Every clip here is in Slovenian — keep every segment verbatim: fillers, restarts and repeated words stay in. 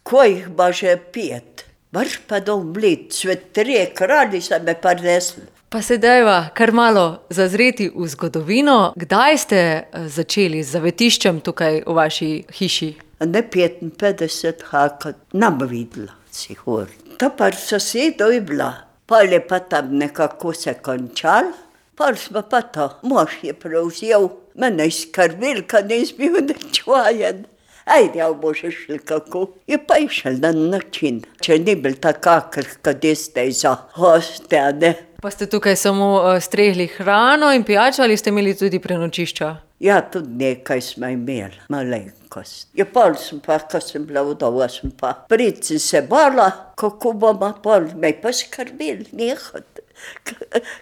Ko jih ba že pet? Baš pa domlit, svet trije kralji so me prinesli. Pa se dajva kar malo zazreti v zgodovino. Kdaj ste začeli z zavetiščem tukaj v vaši hiši? Ne petinpetdeset, haka, nam videla, sigur. To pa sosedov je bila. Pol je pa tam nekako se končal, pol smo pa to, mož je prevzel, mene skrbel, kad nis bil nečvajen. Ajde, ja bože šli kako. Je pa išel na način, če ni bil takakr, kad je zdaj za hoste, a ne. Pa ste tukaj samo uh, strehli hrano in pijačo ali ste imeli tudi prenočišča? Ja, tudi nekaj smo imeli, malenkost. Ja, pol sem pa, ko sem bila vdova, sem pa prici se bala, kako bomo pol, me pa skrbeli, nehot.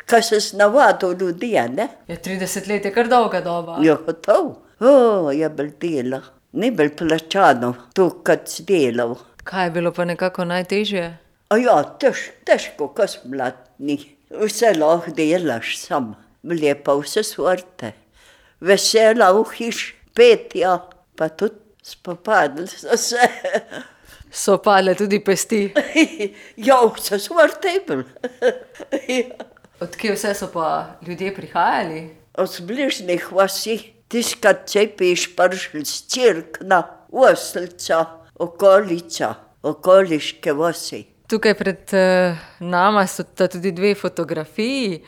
Ko se snavadil ljudi, ne? Ja, trideset let je kar dolga doba. Ja, gotov. O, je bil delo. Ni bil plačano, tu, kad si delal. Kaj je bilo pa nekako najtežje? A ja, tež, težko, ko si mladni. Vse lahko delaš sam, lepa vse sorte. Vesela v hiš, petja, pa tudi spopadli so se. So padle tudi pesti? Ja, vse sorte je bil. Od kje vse so pa ljudje prihajali? Od bližnjih vasi, tiskrat cepiš pršli z Cirkna, Oselca, okolica, okoliške vasi. Tukaj pred uh, nama so tudi dve fotografiji.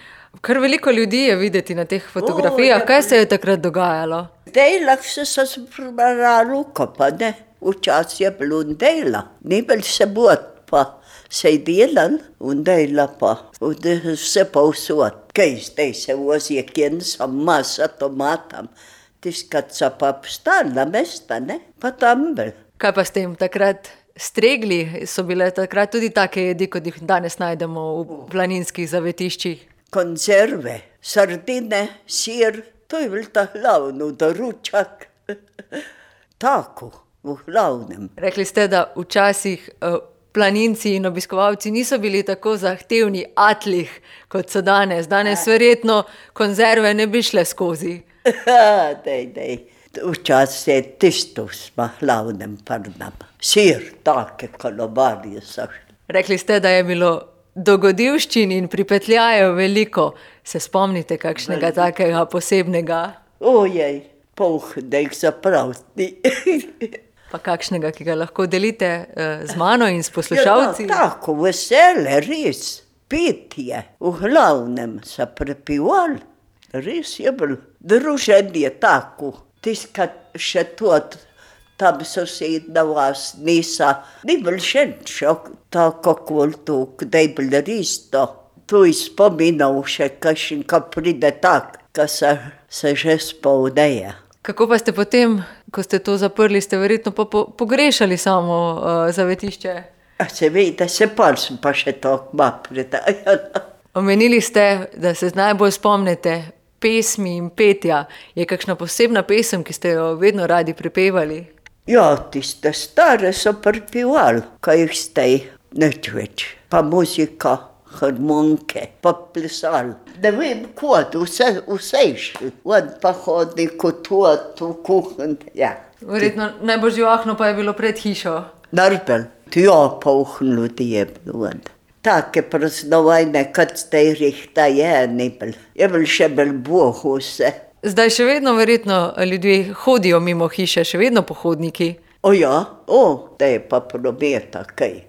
Kar veliko ljudi je videti na teh fotografijah. O, Kaj se je takrat dogajalo? Dejlah se so zbrali pa ne. Včasih je bilo dejla. Ni bil se bod, pa se je delal in dejla pa. Vse pa vsot. Kaj zdaj se vozi, kjen sem masa tomatam. Tiskat so pa obstala mesta, ne? Pa tam bil. Kaj pa ste jim takrat stregli? So bile takrat tudi take jedi, kot jih danes najdemo v planinskih zavetiščih? Konzerve, sardine, sir, to je bil ta glavno, doručak. Tako, v glavnem. Rekli ste, da včasih uh, planinci in obiskovalci niso bili tako zahtevni atlih, kot so danes. Danes verjetno konzerve ne bi šle skozi. Dej, dej. Včasih je tisto smo glavnem prnam. Sir, take kolobarje so šli. Rekli ste, da je bilo dogodivščin in pripetljajev veliko. Se spomnite kakšnega veliko takega posebnega? Ojej, poh, da jih zapravti. Pa kakšnega, ki ga lahko delite uh, z mano in s poslušalci? Ja, no, tako, vesele, res. Petje, v glavnem so prepivali. Res je bil druženje tako. Tiskat še tot, tam sosedna vas nisa. Ni bil še šok, tako kvol tu, kdaj je bil res to. Tu je spominal še kakšen, ko pride tak, ko se, se že spolneje. Kako pa ste potem, ko ste to zaprli, ste verjetno po, po, pogrešali samo uh, zavetišče? A se vede, se pa sem pa še tako ma predajala. Omenili ste, da se najbolj spomnite pesmi in petja. Je kakšna posebna pesem, ki ste jo vedno radi prepevali? Ja, tiste stare so prepevali, ko jih zdaj nič več. Pa muzika, harmonike, pa plesali. Ne vem, kod, vse, vse išli. On pa hodni kot tot v kuhn. Ja. Verjetno najbolj živahno pa je bilo pred hišo. Narbel, ja, pa uhn ljudi je bilo. Take praznovajne, kad zdaj rihta je, ni bil. Je bil še bil Bog vse. Zdaj še vedno verjetno ljudje hodijo mimo hiše, še vedno pohodniki. O ja, o, da je pa prometa kaj.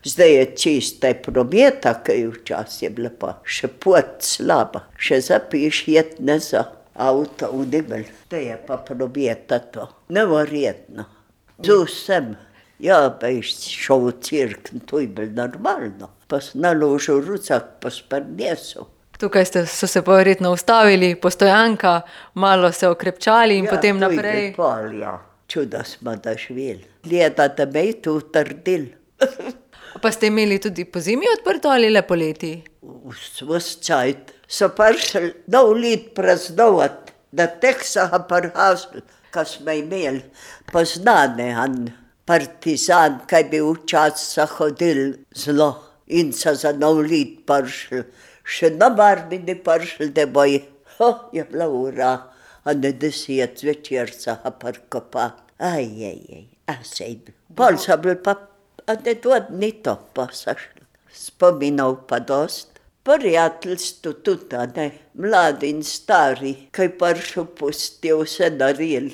Zdaj je čista prometa kaj, včasih je bila pa še pot slaba. Še zapiš jetne za avto v Dibel. Da je pa prometa to. Neverjetno. Tu sem. Ja, pa je šel v Cirkn, to je bil normalno. Pa sem naložil rucak, pa sprnesel. Tukaj ste, so se pa verjetno ustavili, postojanka, malo se okrepčali in ja, potem naprej. Ja, to je pol, ja. Čuda smo doživeli. Leta, da me je tu utrdil. Pa ste imeli tudi po zimi odprto ali le poleti? Vs čajt. So prišli nov let praznovat, da tek so ga prihazili, ko smo imeli poznane, an partizan, kaj bi včasih hodil zelo in so za nov let prišli. Še na barbi ne prišli, da boj, ho, je bila ura, a ne deset večer so ga prkopali. Aj, aj, aj, a sej bil. Pol so bili pa a ne to ni to pasašlo. Spominov pa dost. Prijateljstvo tudi, a ne, mladi in stari, kaj pršo pustijo vse daril.